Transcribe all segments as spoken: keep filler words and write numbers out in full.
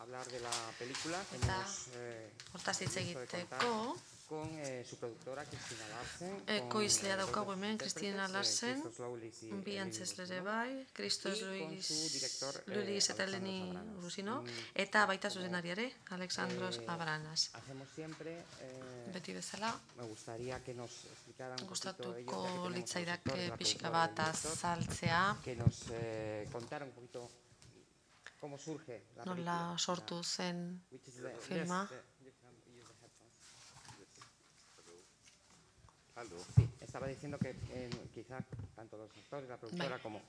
hablar de la película que Eta hemos eh, hortaz hitz visto de contar egiteko, con eh, su productora Cristina Larsen, con ekoizlea eh, dos daukagu de sus hemen, Cristina intérpretes, eh, Larsen, Christos Loulis y bi Eleni antzesle ere Rusino, bai, Christos y con Luis, su director eh, Lulis eta Alexandros Eleni Abranas. Rusino, Mm, eta baita como, zuzendariare, Alexandros eh, Abranas. Hacemos siempre, eh, Beti bezala, me gustaría que nos explicaran un poquito ellos, ya que gustatuko tenemos a los litzaidak actores, la pixka productora y el bat director, azaltzea, que nos eh, contaran un poquito cómo surge la película. nola sortu zen Which is the, filma. yes, the, you can use the headphones. Aldo. Sí, estaba diciendo que eh, quizá tanto los actores, la productora Bai. como,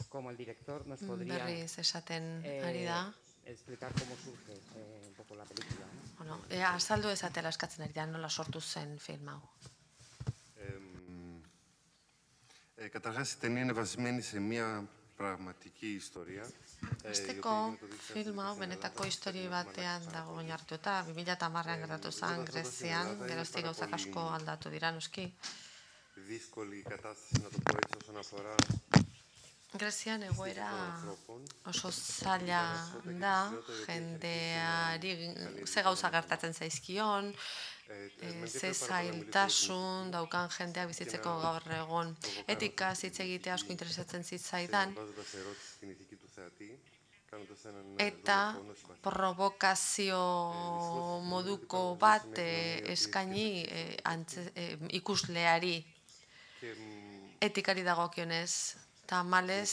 como el director nos podrían Berriz esaten eh, ari da. explicar cómo surge eh, un poco la película, ¿no? Bueno, e, azaldu ezatela eskatzen ari da, nola sortu zen film hau. Εμ, ε, καταρχάς η ταινία είναι βασισμένη σε μια πραγματική ιστορία. ε, η οποία Azteko έγινε το δύο χιλιάδες film hau στην benetako Ελλάδα, histori στην batean Μαλακισά, dago πολύ. oinarrituta, bi mila hamarrean gertatu zen Grezian, geroztik gauzak asko aldatu dira noski. Δύσκολη η κατάσταση, να το πω έτσι, όσον αφορά Grezian egoera oso zaila da, jendeari ze gauza gertatzen zaizkion, e, ze zailtasun daukan jendeak bizitzeko gaur egon. Etikaz hitz egitea asko interesatzen zitzaidan, βάζοντας ερώτηση στην ηθική του θεατή, κάνοντας έναν eta δολοφόνο συμπαθή. provokazio moduko bat eh, eskaini eh, antze, eh, ikusleari Και μ, etikari dagokionez. Tamalez,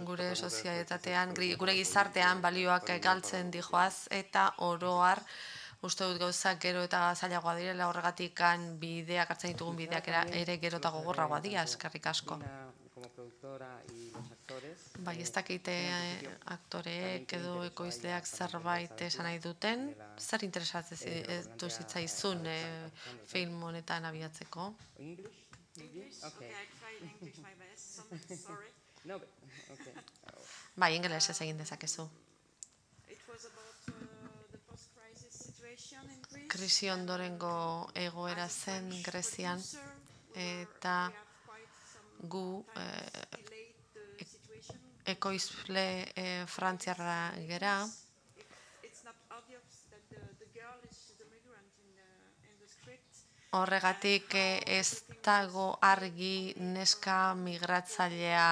gure sozietatean, gri- gure gizartean balioak galtzen dijoaz, eta oroar uste dut gauzak gero eta zailagoa direla horregatikan bideak hartzen ditugun bideak era, ere gero eta gogorragoa dira, eskerrik asko. Cristina, como productora y los actores, Bai, ez dakite eh, aktoreek edo ekoizleak zerbait esan nahi duten, zer interesatzen du zitzaizun eh, film honetan abiatzeko? English? English? Okay. Okay, I try in English my best. So, sorry. No, but, okay. Bai, ingelesez egin dezakezu. It was about uh, the post-crisis situation in Greece. Krisi ondorengo egoera As a zen French Grezian, producer, we were- eta we have quite some gu time eh, delayed the situation. ekoizle eh, frantziarra gera, If it's not obvious that the, the girl is the migrant in the, in the script. horregatik eh, ez dago argi neska migratzailea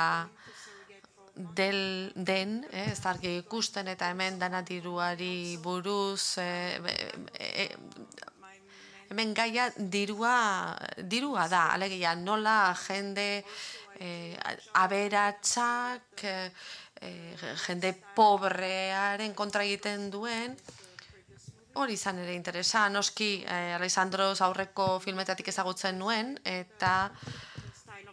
del, den, eh, ez da argi ikusten eta hemen dana diruari buruz, eh, eh, eh, hemen gaia dirua, dirua da, alegia nola jende eh, aberatsak, eh, eh, jende pobrearen kontra egiten duen, hori izan ere interesa, noski eh, Alexandros aurreko filmetatik ezagutzen nuen, eta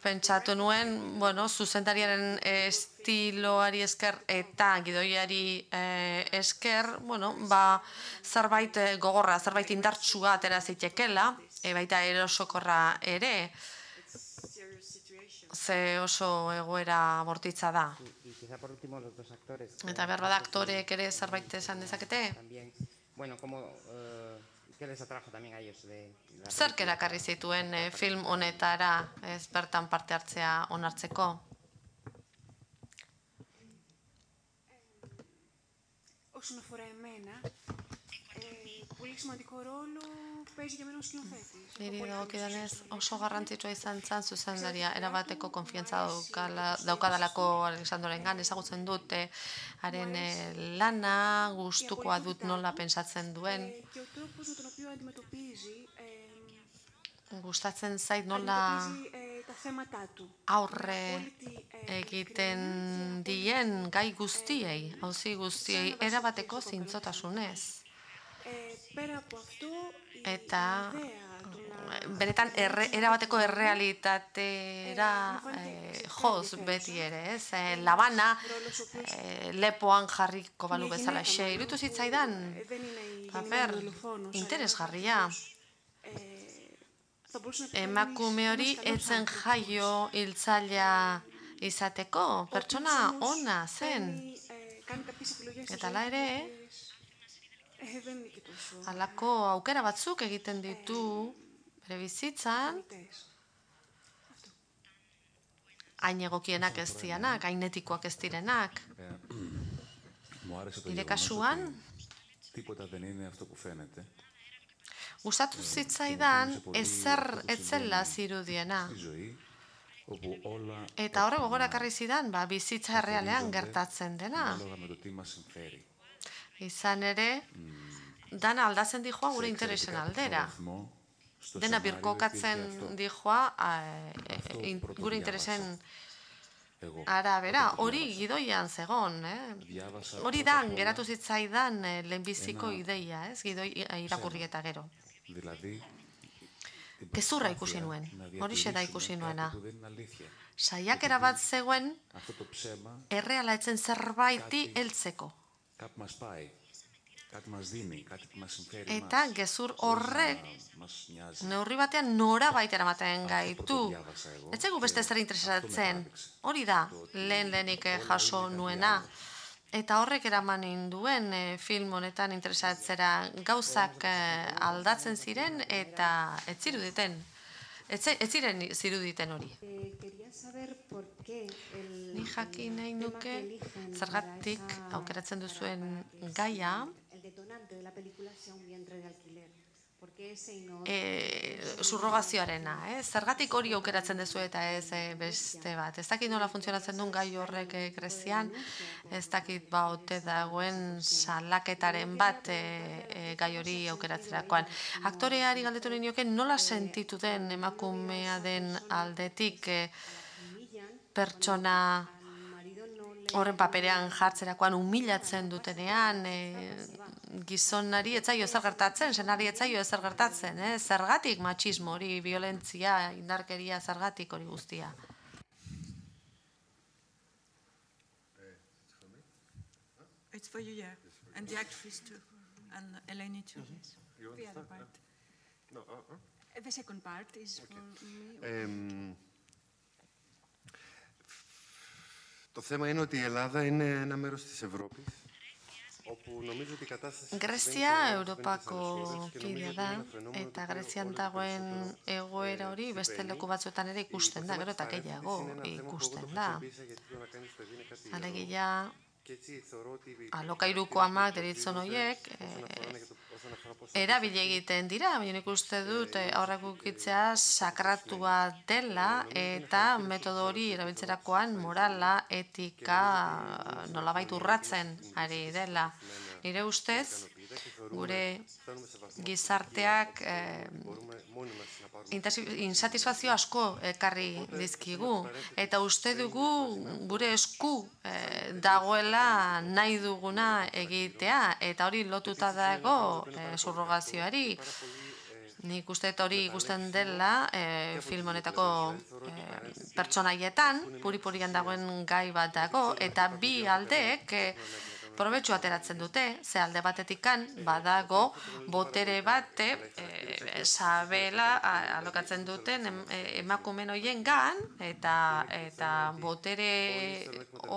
pentsatu nuen, bueno, zuzendariaren estiloari esker eta gidoiari eh, esker, bueno, ba, zerbait eh, gogorra, zerbait indartsua atera zitekela, e, baita erosokorra ere, Serious situation. ze oso egoera bortitza da. Y, y quizá por último los dos actores. Eta behar bada aktoreek ere zerbait esan dezakete? También, bueno, como, eh, ¿qué les atrajo también a ellos de la Zerk película? erakarri zituen eh, film honetara ez bertan parte hartzea onartzeko? Όσον αφορά εμένα, ε, πολύ σημαντικό ρόλο παίζει για μένα ο σκηνοθέτης. Niri dagokidanez oso garrantzitsua izan zen zuzendaria, erabateko konfiantza daukala, daukadalako Alexandrorengan, ezagutzen dut eh, haren eh, lana, gustukoa dut nola pentsatzen duen, Ε, και ο τρόπος με τον οποίο αντιμετωπίζει, ε, gustatzen zait nola αντιμετωπίζει ε, τα θέματα του. aurre egiten dien gai guztiei, auzi guztiei, erabateko zintzotasunez. Ε, πέρα από αυτό, η Eta ιδέα του να... benetan erre, erabateko errealitatera eh, joz beti ere, ez? Eh, labana eh, lepoan jarriko balu bezala xe. Irutu zitzaidan, δεν είναι η paper γεννημένη δολοφόνος, αλλά interesgarria. ε, θα μπορούσε να πει Emakume hori etzen jaio hiltzailea izateko, pertsona ona zen. κάνει κάποιες επιλογές Eta hala ere, ε, δεν είναι και τόσο halako aukera batzuk egiten ditu bere bizitzan, θεμητές. hain egokienak ez dianak, hain etikoak ez direnak. Μου άρεσε το Nire γεγονός kasuan, ότι Τίποτα δεν είναι αυτό που φαίνεται. Gustatu zitzaidan ezer etzela zirudiena. Στη ζωή, όπου όλα Eta horrek gogora ekarri zidan, ba, bizitza errealean gertatzen dena. ανάλογα με το τι μας συμφέρει. Izan ere, dana aldatzen dijoa gure interesen aldera. Dena birkokatzen dijoa gure interesen arabera. Hori gidoian zegon, eh? Hori da, geratu zitzaidan lehenbiziko ideia, ez? Gidoi irakurri eta gero. Gezurra ikusi nuen, horixe da ikusi nuena. Saiakera bat zegoen, erreala etzen zerbaiti heltzeko. Eta gezur horrek neurri batean nora baita eramaten gaitu. Ez zaigu beste zer interesatzen, hori da lehen lehenik jaso nuena. Eta horrek eraman induen film honetan interesatzera gauzak aldatzen ziren eta ez ziruditen. Ez ziren ziruditen hori. Ni jakin nahi nuke zergatik aukeratzen duzuen gaia subrogazioarena, zergatik hori aukeratzen duzu eta ez beste bat. Ez dakit nola funtzionatzen duen gai horrek Grezian, ez dakit ba ote dagoen salaketaren bat gai hori aukeratzerakoan. Aktoreari galdetu nioke nola sentitu den emakumea den aldetik pertsona horren paperean jartzerakoan humilatzen dutenean, gizonari etzaio ezer gertatzen, senari etzaio ezer gertatzen, zergatik matxismo hori, violentzia, indarkeria, zergatik hori guztia. It's for you, yeah. And the actress too. And Eleni too. The other part. The second part is for me. Το θέμα είναι ότι η Ελλάδα είναι ένα μέρος της Ευρώπης, όπου νομίζω ότι η κατάσταση... Grezia Europako kidea da, eta Grezian dagoen egoera hori beste leku batzuetan ere ikusten da, gero eta gehiago ikusten da. Alegia, alokairuko amak deritzon horiek, erabile egiten dira, baina nik uste dut aurrak ukitzea sakratua dela eta metodo hori erabiltzerakoan morala, etika nolabait urratzen ari dela. Nire ustez, gure gizarteak insatisfazio asko ekarri dizkigu eta uste dugu gure esku dagoela nahi duguna egitea eta hori lotuta dago subrogazioari. Nik uste hori ikusten dela film honetako pertsonaietan, puri-purian dagoen gai bat dago eta bi aldeek probetxu ateratzen dute, ze alde batetikan badago botere bate sabela alokatzen duten emakumen horien gan eta botere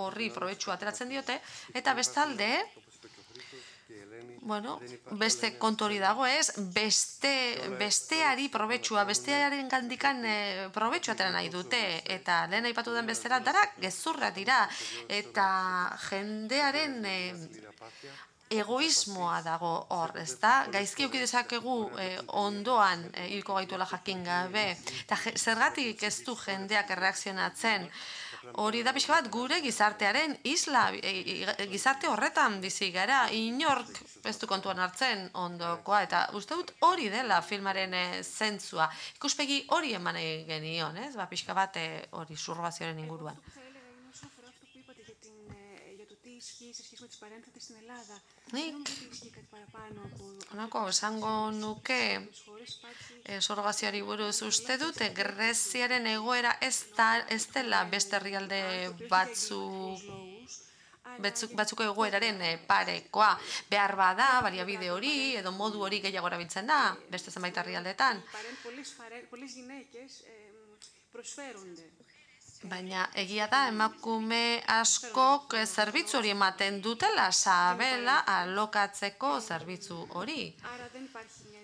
horri probetxu ateratzen diote eta bestalde bueno, beste kontu hori dago ez, besteari probetxua, bestearen gandikan probetxua atera nahi dute, eta lehen aipatu den bestera, darak gezurra dira, eta jendearen egoismoa dago hor, ez da? Gaizki euki dezakegu ondoan hilko gaituela jakin gabe, eta zergatik ez du jendeak erreakzionatzen, hori da pixka bat gure gizartearen isla, gizarte horretan bizi gara, inork ez du kontuan hartzen ondokoa, eta uste dut hori dela filmaren zentzua. Ikuspegi hori eman genion, ez? Ba, pixka bat hori subrogazioaren inguruan. Nik, honako, esango nuke subrogazioari buruz uste dute Greziaren egoera ez dela beste herrialde batzuko egoeraren parekoa. Behar bada, baliabide hori edo modu hori gehiago erabiltzen da, beste zenbait herrialdetan. Baina egia da, emakume askok zerbitzu hori ematen dutela, sabela alokatzeko zerbitzu hori. Άρα δεν υπάρχει μια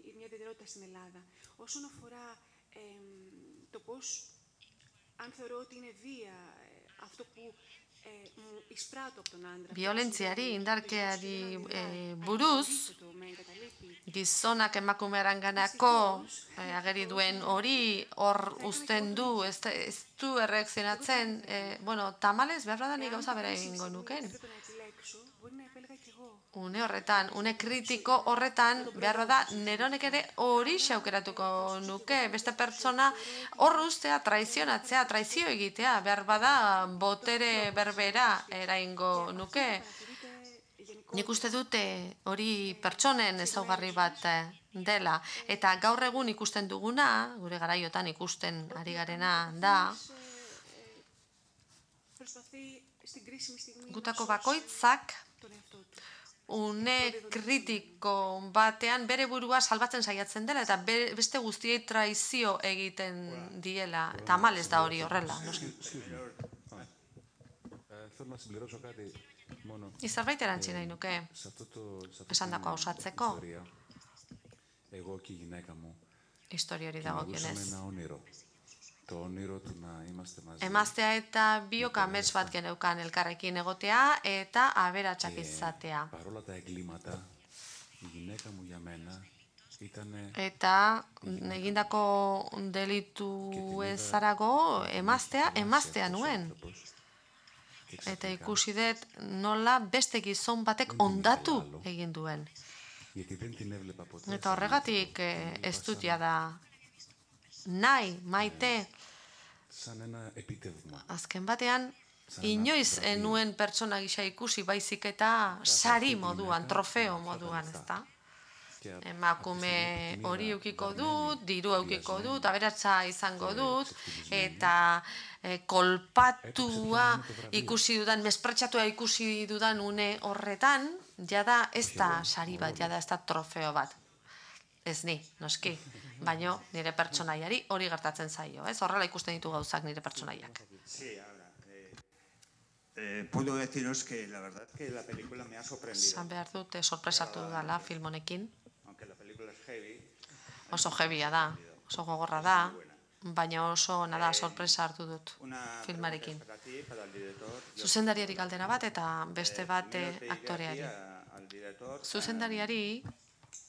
ιδιαιτερότητα στην Ελλάδα. Όσον αφορά το πώς, αν θεωρώ ότι είναι βία αυτό που Biolentziari, indarkeari buruz, gizonak emakumearenganako ageri duen hori hor uzten du, ez du erreakzionatzen, bueno, tamalez behar da nik gauza bera egingo nuken. Une horretan, une kritiko horretan, behar da, neronek ere hori xaukeratuko nuke, beste pertsona hor ustea, traizionatzea, traizio egitea, behar bada, botere berbera eraingo nuke. Nik uste dute hori pertsonen ezaugarri bat dela, eta gaur egun ikusten duguna, gure garaiotan ikusten ari garena da, gutako bakoitzak, une kritiko batean bere burua salbatzen saiatzen dela eta beste guztiei traizio egiten diela. Eta malez da hori horrela. Izerbait erantzi nahi nuke, esan dako hausatzeko. Historia hori dagokionez. Emaztea eta biok amets bat geneukan elkarrekin egotea eta aberatsak izatea. Eta egindako delitu ezarago emaztea, emaztea nuen. Eta ikusi dut nola beste gizon batek ondatu egin duen. Eta horregatik ez dut jada nahi, maite, azken batean, inoiz enuen pertsona gisa ikusi baizik eta sari moduan, trofeo moduan, ezta? Emakume hori eukiko dut, diru eukiko dut, aberatsa izango dut, eta kolpatua ikusi dudan, mespretxatua ikusi dudan une horretan, jada ez da sari bat, jada ez da trofeo bat. Ez ni, noski, baino nire pertsonaiari hori gertatzen zaio, ez? Horrela ikusten ditu gauzak nire pertsonaiak. Sí, ahora, eh, puedo deciros que la verdad que la película me ha sorprendido. Zan behar dut, sorpresatu dala film honekin. Aunque la película es heavy. Oso heavya da, oso gogorra da, baina oso nada sorpresa hartu dut filmarekin. Zuzendariari galdera bat eta beste bat aktoreari. Zuzendariari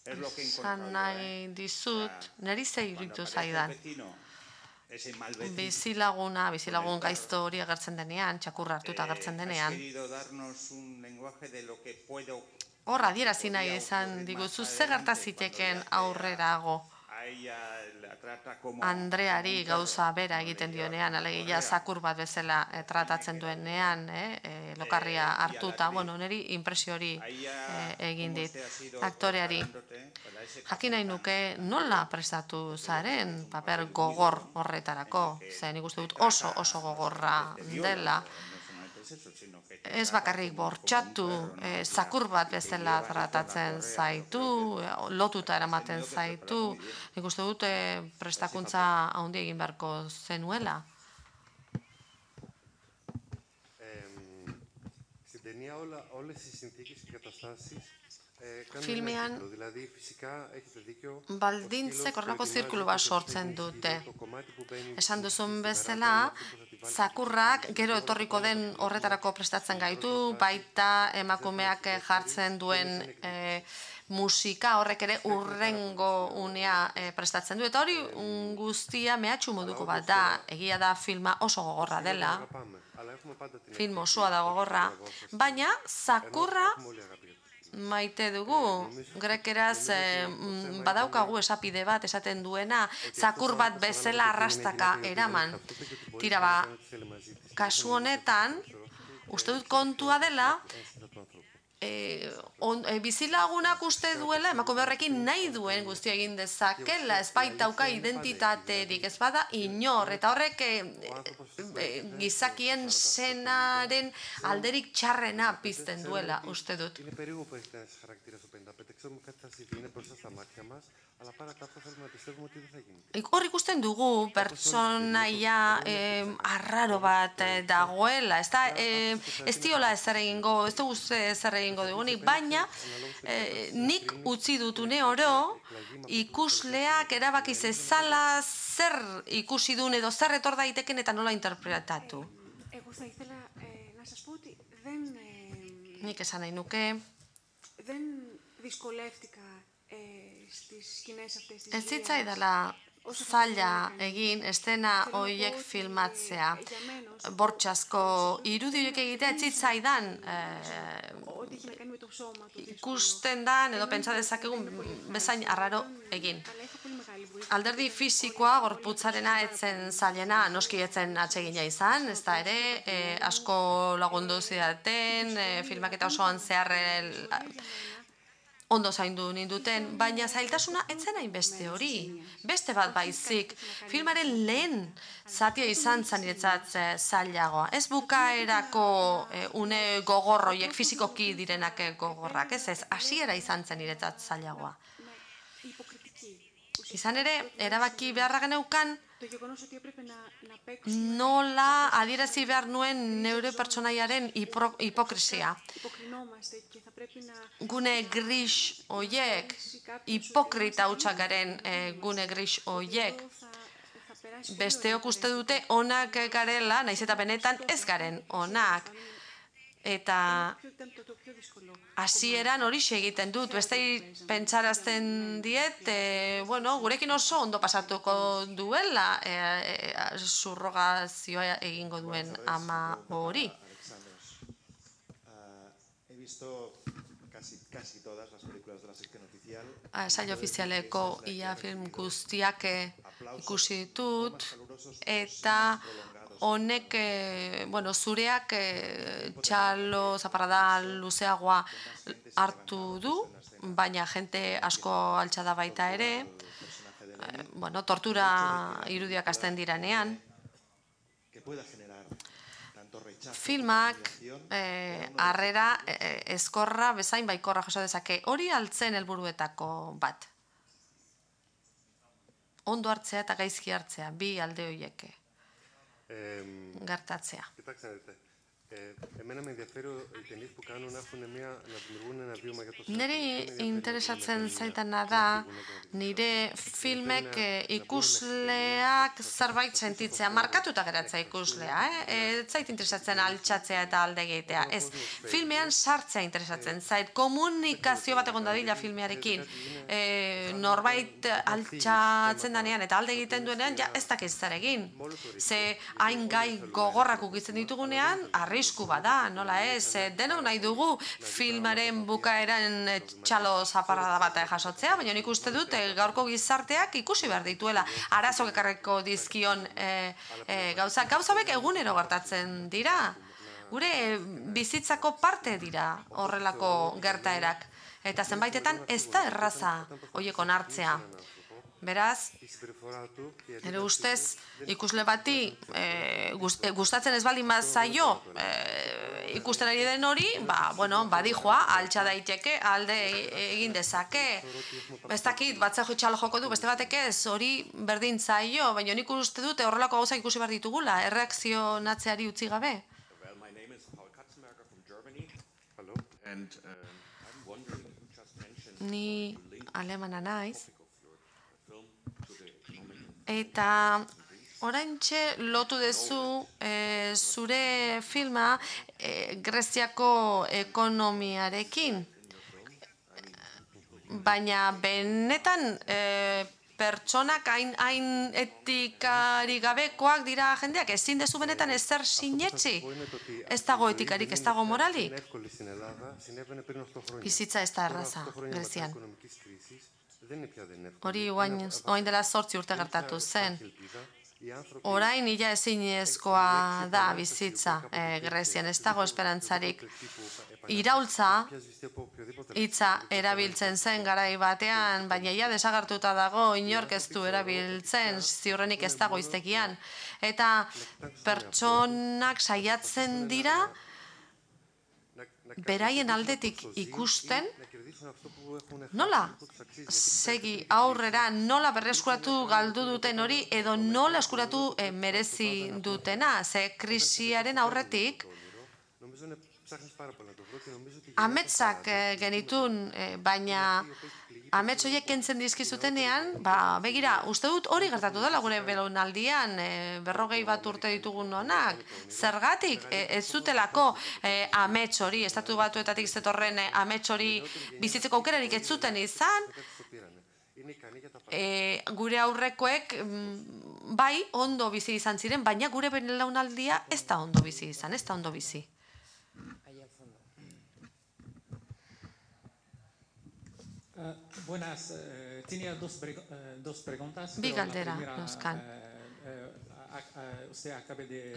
esan nahi dizut, niri zei iruditu zaidan. Bizilaguna, bizilagun gaizto hori agertzen denean, txakurra hartuta agertzen denean. Hor adierazi nahi izan diguzu, ze gerta ziteken aurrerago. Andreari gauza bera egiten dionean, alegia zakur bat bezala tratatzen duenean, lokarria hartuta, bueno, niri impresio hori egin dit aktoreari. Jakin nahi nuke nola prestatu zaren paper gogor horretarako, zen ikuste dut oso oso gogorra dela. Ez bakarrik bortxatu, zakur bat bezala tratatzen zaitu, lotuta eramaten zaitu, nik uste dut prestakuntza handi egin beharko zenuela. Filmean baldintzek horrelako zirkulu bat sortzen dute. Esan duzun bezala, zakurrak gero etorriko den horretarako prestatzen gaitu, baita emakumeak jartzen duen musika horrek ere urrengo unea prestatzen du. Eta hori guztia mehatxu moduko bat da, egia da filma oso gogorra dela, film osoa da gogorra, baina zakurra maite dugu, grekeraz badaukagu esapide bat esaten duena, zakur bat bezala arrastaka eraman. Tira ba, kasu honetan, uste dut kontua dela, bizilagunak uste duela, emakume horrekin nahi duen guztia egin dezakela, ez baitauka identitaterik, ez bada inor, eta horrek gizakien senaren alderik txarrena pizten duela, uste dut. Hor ikusten dugu pertsonaia arraro bat dagoela, ez diola ezer egingo, ez dugu ezer egingo dugunik, baina nik utzi dutune oro ikusleak erabaki zezala zer ikusi duen edo zer etor daiteken eta nola interpretatu. σας πω ότι δεν, ε, Nik esan nahi nuke, δεν δυσκολεύτηκα ε, στις σκηνές αυτές της ez βίας. zitzaidala zaila egin estena horiek filmatzea. Bortxazko irudi horiek egitea ez zitzaidan Ό,τι έχει να κάνει με το σώμα του. ikusten dan edo pentsa dezakegun bezain arraro egin. Αλλά είχα πολύ μεγάλη βοήθεια. Alderdi fisikoa gorputzarena etzen zailena, noski etzen atsegina izan, ez da ere, e, asko lagundu zidaten, e, filmaketa osoan zehar e, ondo zaindu ninduten, baina zailtasuna etzen hainbeste hori. Beste bat baizik, filmaren lehen zatia izan zen niretzat e, zailagoa. Ez bukaerako e, une gogorroiek, fizikoki direnak gogorrak, ez ez, hasiera izan zen niretzat zailagoa. Izan ere, erabaki beharra geneukan, Το γεγονός ότι έπρεπε να, να παίξω nola adierazi behar nuen neure pertsonaiaren hipro- hipokresia. υποκρινόμαστε και θα πρέπει να Gune gris oiek, hipokrita hutsak garen e, gune gris oiek, θα, θα περάσει πολύ besteok uste dute onak garela, naiz eta benetan ez garen onak. Eta Ποιο ήταν το, το πιο δύσκολο. hasieran hori egiten dut, beste pentsarazten diet, e, bueno, gurekin oso ondo pasatuko duela e, e, surrogazioa egingo duen ama hori. He visto casi, casi todas las películas de la sección oficial. Saio ofizialeko ia film guztiak ikusi ditut, eta honek, bueno, zureak txalo zaparrada luzeagoa hartu du, baina jente asko altxa da baita ere, bueno, tortura irudiak hasten diranean. Filmak harrera ezkorra bezain baikorra jaso dezake. Hori altzen helburuetako bat. Ondo hartzea eta gaizki hartzea, bi alde horiek gertatzea. Κοιτάξτε να δείτε. Ε, εμένα με ενδιαφέρει οι ταινίες που κάνουν να, έχουν μια, να δημιουργούν ένα βίωμα για το σώμα. Neri interesatzen zaitana da, nire filmek ikusleak zerbait sentitzea, markatuta geratzea ikuslea, eh? Ez zait interesatzen altxatzea eta alde egitea, ez. Filmean sartzea interesatzen zait, komunikazio bat egon dadila filmearekin, e, norbait altxatzen danean eta alde egiten duenean, ja ez dakiz zer egin. Ze hain gai gogorrak ukitzen ditugunean, arrisku bada, nola ez, denok nahi dugu filmaren bukaeran txalo zaparrada bat jasotzea, baina nik uste dut gaurko gizarteak ikusi behar dituela arazok ekarreko dizkion gauza. Gauzabek egunero gertatzen dira, gure bizitzako parte dira horrelako gertaerak, eta zenbaitetan ez da erraza horiek onartzea. Beraz, ere ustez, ikusle bati gustatzen ez baldin bat zaio ikusten ari den hori, ba, bueno, badijoa, altxa daiteke, alde egin dezake. Ez dakit, batzeko txalo joko du, beste batek ez, hori berdin zaio, baina nik uste dute horrelako gauza ikusi behar ditugula, erreakzionatzeari utzi gabe. Well, my name is Paul Katzenberger from Germany. Hello. And um, I'm wondering, you just mentioned Ni alemana naiz. film to the economic Eta oraintxe lotu dezu e, zure filma e, Greziako ekonomiarekin. Baina benetan e, pertsonak hain, hain etikari gabekoak dira jendeak, ezin dezu benetan ezer sinetxi. Ez dago etikarik, ez dago moralik. Bizitza ez da erraza, Grezian. Hori oain dela zortzi urte gertatu zen. Orain ila ezinezkoa da bizitza Grezian, ez dago esperantzarik. Iraultza hitza erabiltzen zen garai batean, baina ia desagertuta dago, inork ez du erabiltzen, ziurrenik ez dago hiztegian. Eta pertsonak saiatzen dira beraien aldetik ikusten nola segi aurrera, nola berreskuratu galdu duten hori edo nola eskuratu merezi dutena, ze krisiaren aurretik ametsak genitun, baina amets horiek kentzen dizkizutenean, ba, begira, uste dut hori gertatu dela gure belaunaldian, berrogei bat urte ditugun honak, zergatik ez zutelako amets hori, estatu batuetatik zetorren amets hori bizitzeko aukerarik ez zuten izan, gure aurrekoek bai ondo bizi izan ziren, baina gure belaunaldia ez da ondo bizi izan, ez da ondo bizi. Buenas, eh, tenía dos, eh, dos preguntas. Bi galdera, nozkan.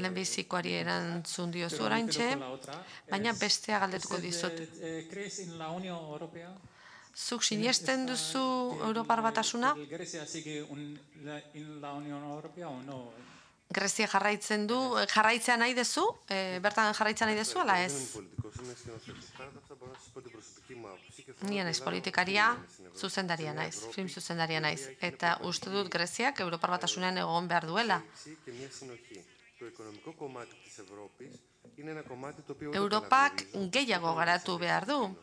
Lehenbizikoari erantzun diozu oraintxe, baina bestea galdetuko dizut. ¿Crees en la Unión Europea? Zuk sinesten duzu Europar Batasuna? ¿Grecia sigue en la Unión Europea o no? Grezia jarraitzen du, jarraitzea nahi dezu? Bertan jarraitzea nahi dezu, ala ez? Ni naiz politikaria, zuzendaria naiz, film zuzendaria naiz. Eta uste dut Greziak Europar Batasunean egon behar duela. Europak gehiago garatu behar du.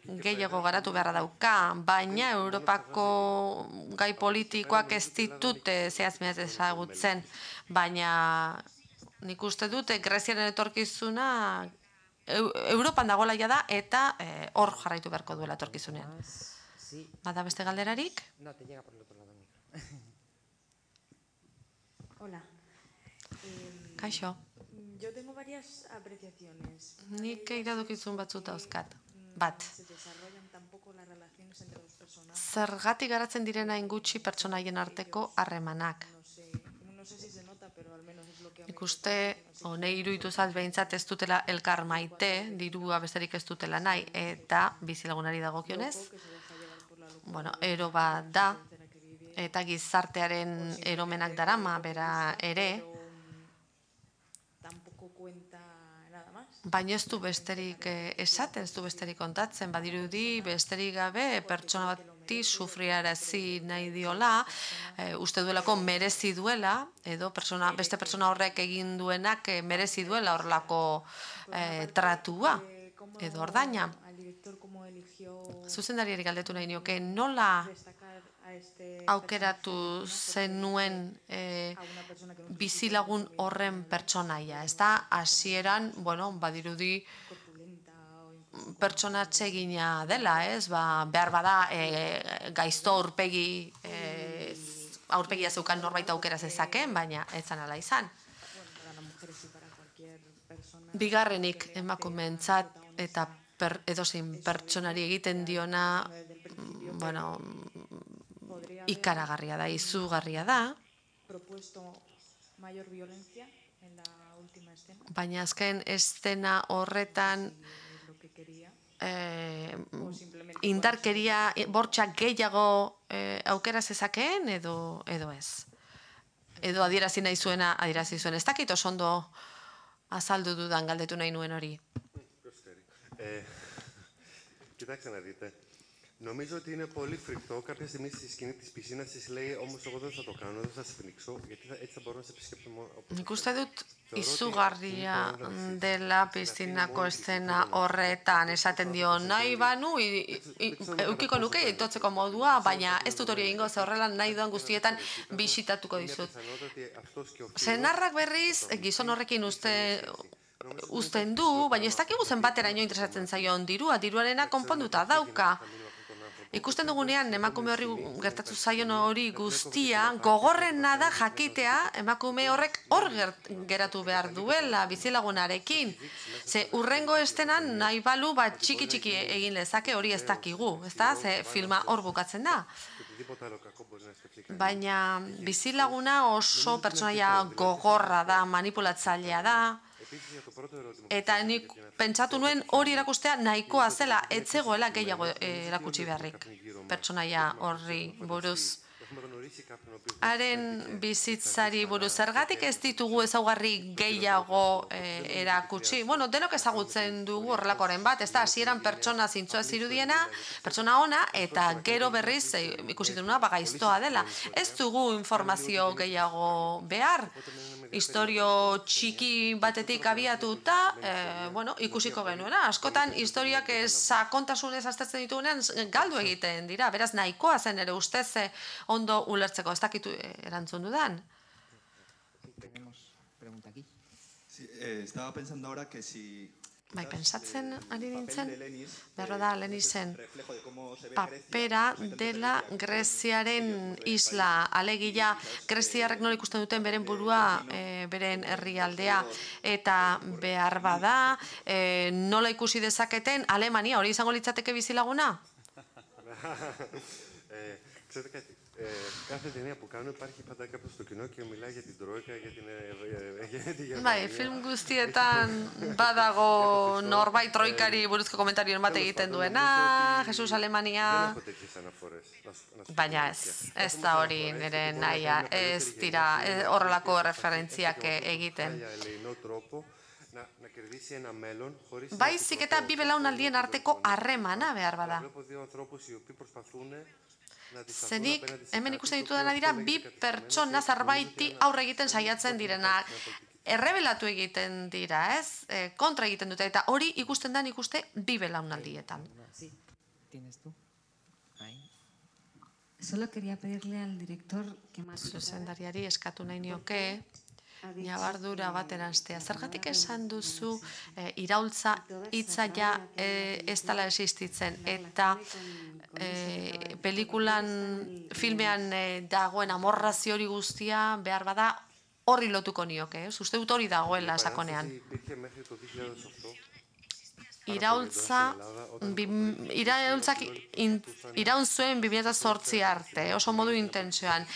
Gehiago garatu beharra dauka, baina Europako gai politikoak ez ditute zehazmeaz ezagutzen, baina nik uste dute Greziaren etorkizuna Europan dagoela ja da eta hor jarraitu beharko duela etorkizunean. Bada beste galderarik? Hola. Kaixo. Yo tengo varias apreciaciones. Nik iradokizun batzut dauzkat. Bat. Zergatik garatzen direna ingutxi pertsonaien arteko harremanak. Ikuste, honei iruditu zat behintzat ez dutela elkar maite, dirua besterik ez dutela nahi, eta bizilagunari dagokionez, bueno, ero bat da, eta gizartearen eromenak darama, bera ere, baina ez du besterik esaten, ez du besterik kontatzen, badirudi besterik gabe pertsona bati sufriarazi nahi diola, uste duelako merezi duela, edo beste pertsona horrek egin duenak merezi duela horrelako tratua, edo ordaina. Zuzendariari galdetu nahi nioke, nola aukeratu zenuen bizilagun horren pertsonaia, ez da, hasieran, bueno, badirudi pertsona atsegina dela, ez, behar bada gaizto aurpegi, aurpegia zeukan norbait aukera zezaken, baina ez zan ala izan. Bigarrenik emakumeentzat eta edozein pertsonari egiten diona, bueno, ikaragarria da, izugarria da, baina azken estena horretan indarkeria bortxak gehiago aukera zezakeen edo ez. Edo adierazi nahi zuena, adierazi zuen. Ez dakit oso ondo azaldu dudan galdetu nahi nuen hori. Κοιτάξτε να δείτε. Νομίζω ότι είναι πολύ φρικτό. Κάποια στιγμή στη σκηνή της πισίνας της λέει όμως εγώ δεν θα το κάνω, δεν θα σε πνίξω, γιατί έτσι θα μπορώ να σε επισκέπτω μόνο. Nik uste dut izugarria dela piztinako eszena horretan esaten dio nahi banu eukiko nuke itotzeko modua, baina ez dut hori egingo ze horrela nahi duan guztietan bisitatuko dizut. Senarrak berriz gizon horrekin uste uzten du, baina ez dakigu zenbateraino interesatzen zaion dirua, diruarena konponduta dauka. Ikusten dugunean emakume horri gertatu zaion hori guztia, gogorrena da jakitea emakume horrek hor geratu behar duela bizilagunarekin. Ze urrengo estenan nahi balu bat txiki-txiki egin lezake hori ez dakigu, ez da? Ze filma hor bukatzen da. Baina bizilaguna oso pertsonaia gogorra da, manipulatzailea da, eta nik pentsatu nuen hori erakustea nahikoa zela, ez zegoela gehiago erakutsi beharrik pertsonaia horri buruz. Haren bizitzari buruz, zergatik ez ditugu ezaugarri gehiago erakutsi? Bueno, denok ezagutzen dugu horrelakoren bat, ez da, hasieran pertsona zintzoa zirudiena, pertsona ona, eta gero berriz ikusi duena bagaiztoa dela. Ez dugu informazio gehiago behar. historio txiki batetik abiatuta, bueno, ikusiko genuena. Askotan, historiak sakontasunez aztertzen ditugunean galdu egiten dira. Beraz, nahikoa zen ere ustez ondo ulertzeko. Ez dakitu erantzun dudan. Estaba pensando ahora que si... Bai, pentsatzen ari nintzen, berro da, Lenisen papera dela Greziaren isla, alegia Greziarrek nola ikusten duten beren burua, beren herrialdea, eta behar bada, nola ikusi dezaketen Alemania, hori izango litzateke bizilaguna? Κάθε ταινία που κάνω υπάρχει πάντα κάποιος στο κοινό και μιλάει για την Τρόικα, για τη Γερμανία. Bai, film guztietan badago norbait troikari buruzko komentarioen bat egiten duena, Jesus Alemania... Baina ez, ez da hori nire nahia, ez dira horrelako referentziak egiten. Baizik eta bi belaunaldien arteko harremana behar bada. Zenik, hemen ikusten ditudana dira, bi pertsona zerbaiti aurre egiten saiatzen direnak. Errebelatu egiten dira, ez? Kontra egiten dute, eta hori ikusten da ikuste bi belaunaldietan. Solo quería pedirle al director que más... Zuzendariari eskatu nahi nioke, ñabardura bat eranztea. Zergatik esan duzu iraultza hitza ja ez dela existitzen, eta pelikulan, filmean dagoen amorrazio hori guztia behar bada horri lotuko nioke, ez? Uste dut hori dagoela sakonean. Iraultza, iraultzak iraun zuen bi mila zortzi arte, oso modu intentsioan.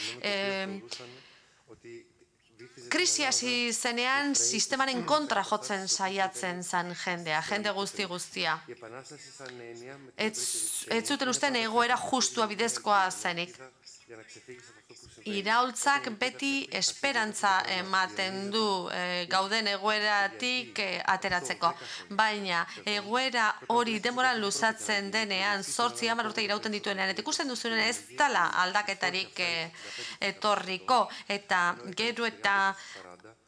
Krisi hasi zenean sistemaren kontra jotzen saiatzen zen jendea, jende guzti guztia. Ez zuten usten egoera justua bidezkoa zenik. Iraultzak beti esperantza ematen du gauden egoeratik ateratzeko. Baina egoera hori denboran luzatzen denean, zortzi hamar urte irauten dituenean, eta ikusten duzunen ez dela aldaketarik etorriko, eta gero eta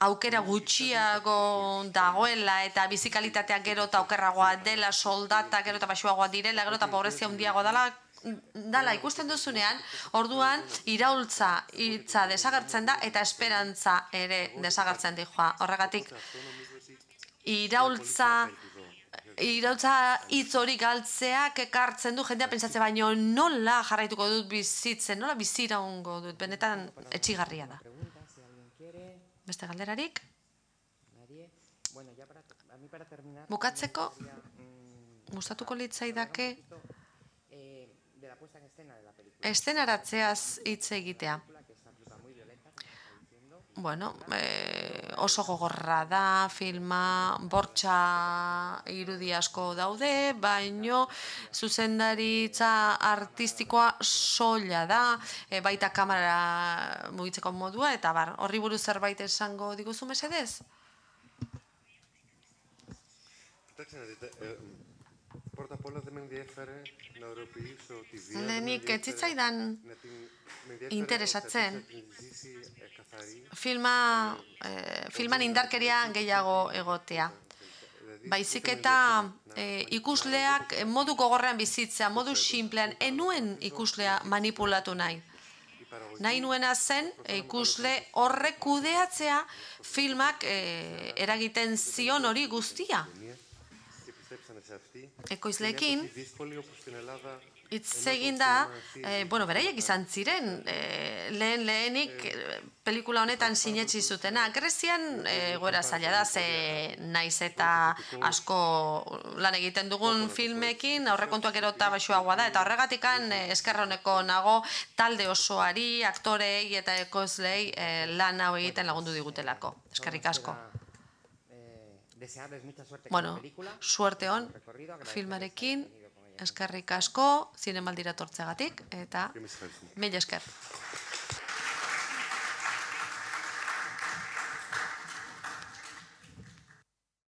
aukera gutxiago dagoela, eta bizikalitatea gero eta okerragoa dela, soldata gero eta baxuagoa direla, gero eta pobrezia handiagoa dela, dala ikusten duzunean, orduan iraultza hitza desagertzen da eta esperantza ere desagertzen dijoa. Horregatik, iraultza iraultza hitz hori galtzeak ekartzen du jendea pentsatzen, baino nola jarraituko dut bizitzen, nola biziraungo dut, benetan etxigarria da. Beste galderarik? Bukatzeko, gustatuko litzaidake estenaratzeaz hitz egitea. Bueno, oso gogorra da, filma, bortxa irudi asko daude, baino zuzendaritza artistikoa soila da, baita kamera mugitzeko modua, eta bar, horri buruz zerbait esango diguzu mesedez? Lehenik, ez zitzaidan interesatzen filman indarkeria gehiago egotea. Baizik eta ikusleak modu gogorrean bizitzea, modu simplean, enuen ikuslea manipulatu nahi. Nahi nuena zen ikusle horrek kudeatzea filmak eragiten zion hori guztia. Ekoizleekin, hitz egin da, bueno, beraiek izan ziren, lehen lehenik pelikula honetan sinetsi zutena. Grezian egoera zaila da, ze naiz eta asko lan egiten dugun filmekin, aurrekontuak gero eta baxuagoa da, eta horregatikan eskerroneko nago talde osoari, aktorei eta ekoizleei lan hau egiten lagundu digutelako. Eskerrik asko. Bueno, suerte hon filmarekin, eskerrik asko, zinemaldira tortzegatik, eta mila esker.